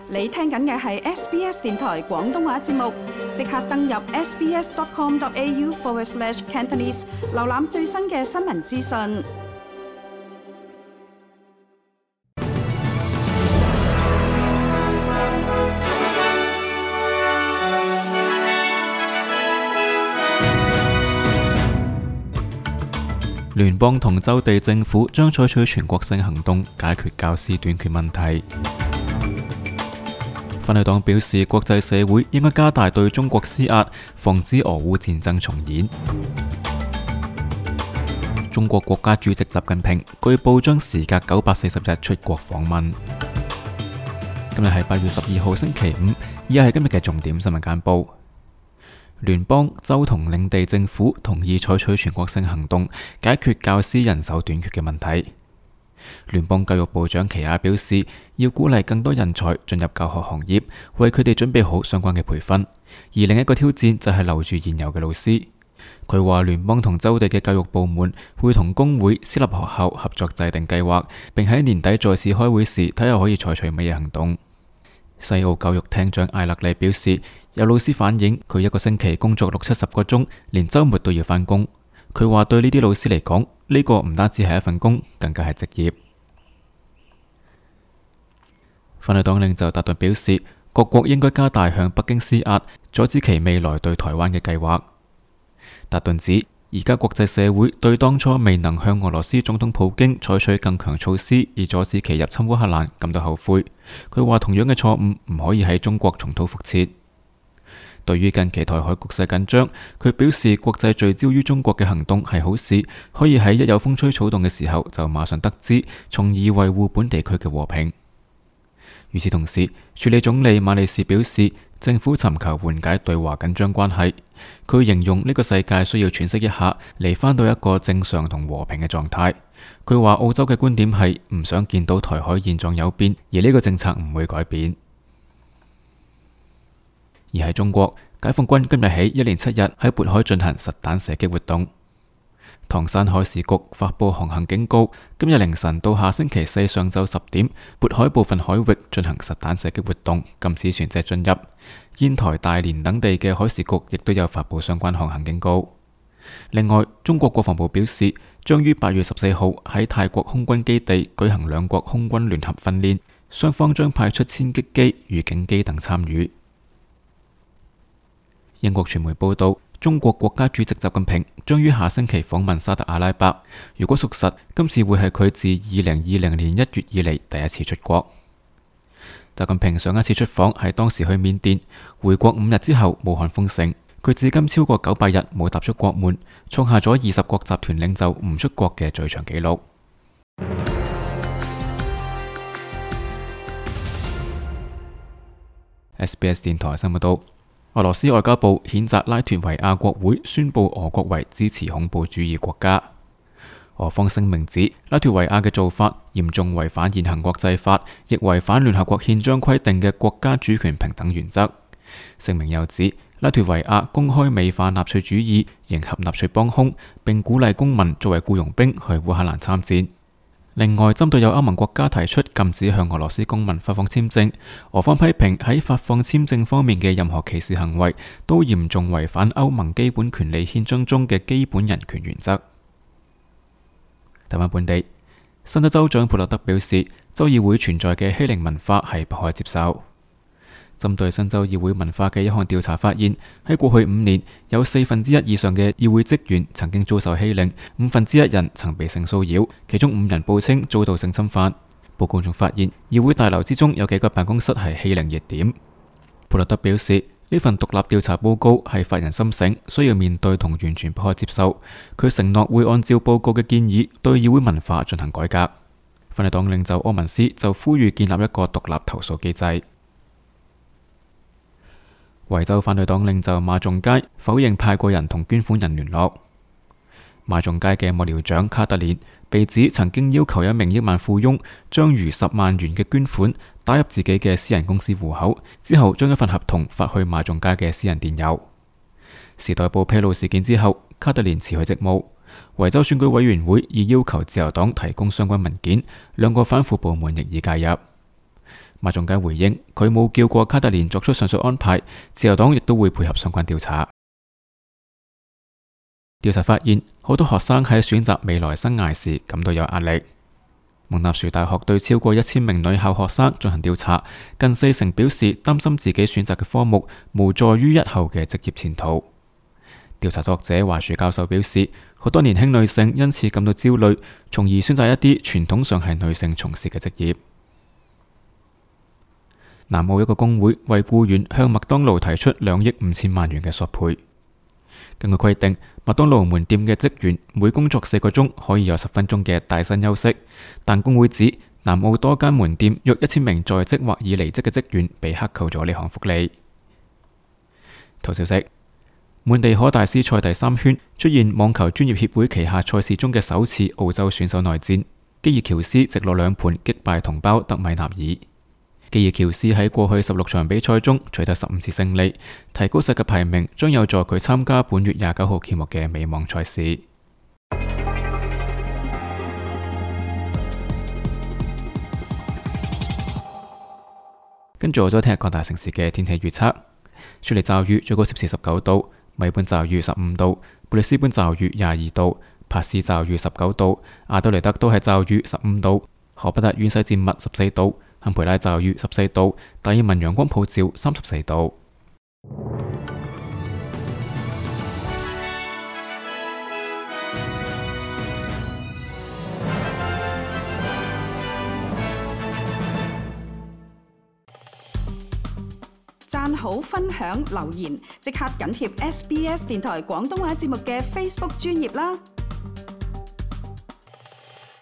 你聽緊嘅係 SBS 電台廣東話節目，即刻登入 sbs.com.au/Cantonese 瀏覽最新嘅新聞資訊。聯邦同州地政府將採取全國性行動解決教師短缺問題。反對黨表示，國際社會應該加大對中國施壓，防止俄烏戰爭重演。中國國家主席習近平據報將時隔940日出國訪問。今日係8月12號星期五，以下係今日嘅重點新聞簡報。聯邦、州同領地政府同意採取全國性行動解決教師人手短缺嘅問題。聯邦教育部長奇亞表示，要鼓勵更多人才進入教學行業，為佢哋準備好相關嘅培訓。而另一個挑戰就係留住現有嘅老師。佢話聯邦同州地嘅教育部門會同工會、私立學校合作制定計劃，並喺年底再次開會時睇下可以採取乜嘢行動。西澳教育廳長艾勒利表示，有老師反映佢一個星期工作60-70個鐘，連週末都要返工。佢話對呢啲老師嚟講，呢個唔單止係一份工，更加係職業。反對黨領袖達頓表示，各國應該加大向北京施壓，阻止其未來對台灣嘅計劃。達頓指，而家國際社會對當初未能向俄羅斯總統普京採取更強措施而阻止其入侵烏克蘭感到後悔。佢話同樣嘅錯誤唔可以喺中國重蹈覆轍。對於近期台海局勢緊張，佢表示國際聚焦於中國嘅行動係好事，可以喺一有風吹草動嘅時候就馬上得知，從而維護本地區嘅和平。與此同時，署理總理馬利士表示，政府尋求緩解對華緊張關係。佢形容呢個世界需要喘息一下，嚟返到一個正常同和平嘅狀態。佢話澳洲嘅觀點係唔想見到台海現狀有變，而呢個政策唔會改變。而喺中國，解放軍今日起一連7日喺渤海進行實彈射擊活動。唐山海事局發佈航行警告，今日凌晨到下星期4上晝10點，渤海部分海域進行實彈射擊活動，禁止船隻進入。煙台、大連等地嘅海事局亦都有發佈相關航行警告。另外，中國國防部表示，將於8月14號喺泰國空軍基地舉行兩國空軍聯合訓練，雙方將派出殲擊機、預警機等參與。英國傳媒報道，中國國家主席習近平將於下星期訪問沙特阿拉伯。如果屬實，今次會係佢自2020年1月以嚟第一次出國。習近平上一次出訪係當時去緬甸，回國5日之後，武漢封城。佢至今超過900日冇踏出國門，創下咗20國集團領袖唔出國嘅最長紀錄。SBS 電台新聞報道。俄羅斯外交部譴責拉脫維亞國會宣布俄國為支持恐怖主義國家。俄方聲明指，拉脫維亞嘅做法嚴重違反現行國際法，亦違反聯合國憲章規定嘅國家主權平等原則。聲明又指，拉脫維亞公開美化納粹主義，迎合納粹幫兇，並鼓勵公民作為僱傭兵去烏克蘭參戰。另外，針對有歐盟國家提出禁止向俄羅斯公民發放簽證，俄方批評喺發放簽證方面嘅任何歧視行為都嚴重違反歐盟基本權利憲章中嘅基本人權原則。台灣本地，新州州長普洛德表示，州議會存在嘅欺凌文化係不可接受。針對新州議會文化嘅一項調查發現，喺過去5年，有1/4以上嘅議會職員曾經遭受欺凌，1/5人曾被性騷擾，其中5人報稱遭到性侵犯。報告仲發現，議會大樓之中有幾個辦公室係欺凌熱點。普洛德表示，呢份獨立調查報告係發人深省，需要面對同完全不可接受。佢承諾會按照報告嘅建議，對議會文化進行改革。反對黨領袖柯文斯就呼籲建立一個獨立投訴機制。維州反對黨領袖馬仲街否認派過人同捐款人聯絡。馬仲街嘅幕僚長卡特連被指曾經要求一名億萬富翁將逾10萬元嘅捐款打入自己嘅私人公司戶口，之後將一份合同發去馬仲街嘅私人電郵。時代報披露事件之後，卡特連辭去職務。維州選舉委員會已要求自由黨提供相關文件，兩個反腐部門亦已介入。馬仲基回應佢冇叫過卡特蓮作出上述安排，自由黨亦都會配合相關調查。調查發現，好多學生喺選擇未來生涯時感到有壓力。蒙納殊大學對超過1000名女校學生進行調查，近40%表示擔心自己選擇嘅科目無助於日後嘅職業前途。調查作者華樹教授表示，好多年輕女性因此感到焦慮，從而選擇一啲傳統上係女性從事嘅職業。南澳一個工會為僱員向麥當勞提出2億5千萬元嘅索賠。根據規定，麥當勞門店嘅職員每工作4個鐘可以有10分鐘嘅帶薪休息，但工會指南澳多間門店約1000名在職或已離職嘅職員被克扣咗呢項福利。圖消息：滿地可大師賽第3圈出現網球專業協會旗下賽事中嘅首次澳洲選手內戰，基爾喬斯直落2盤擊敗同胞德米納爾。基爾喬斯喺過去16場比賽中取得15次勝利，提高世界排名，將有助佢參加本月29號揭幕嘅美網賽事。跟住我再聽日各大城市嘅天氣預測：雪梨驟雨最高攝氏19度，墨爾本驟雨15度，布里斯本驟雨22度，帕斯驟雨19度，阿德雷德都係驟雨15度，荷伯特縣西戰密14度。坎培拉驟雨14度，達爾文陽光普照34度。讚好、分享、留言，即刻緊貼SBS 電台廣東話節目嘅 Facebook 專頁啦！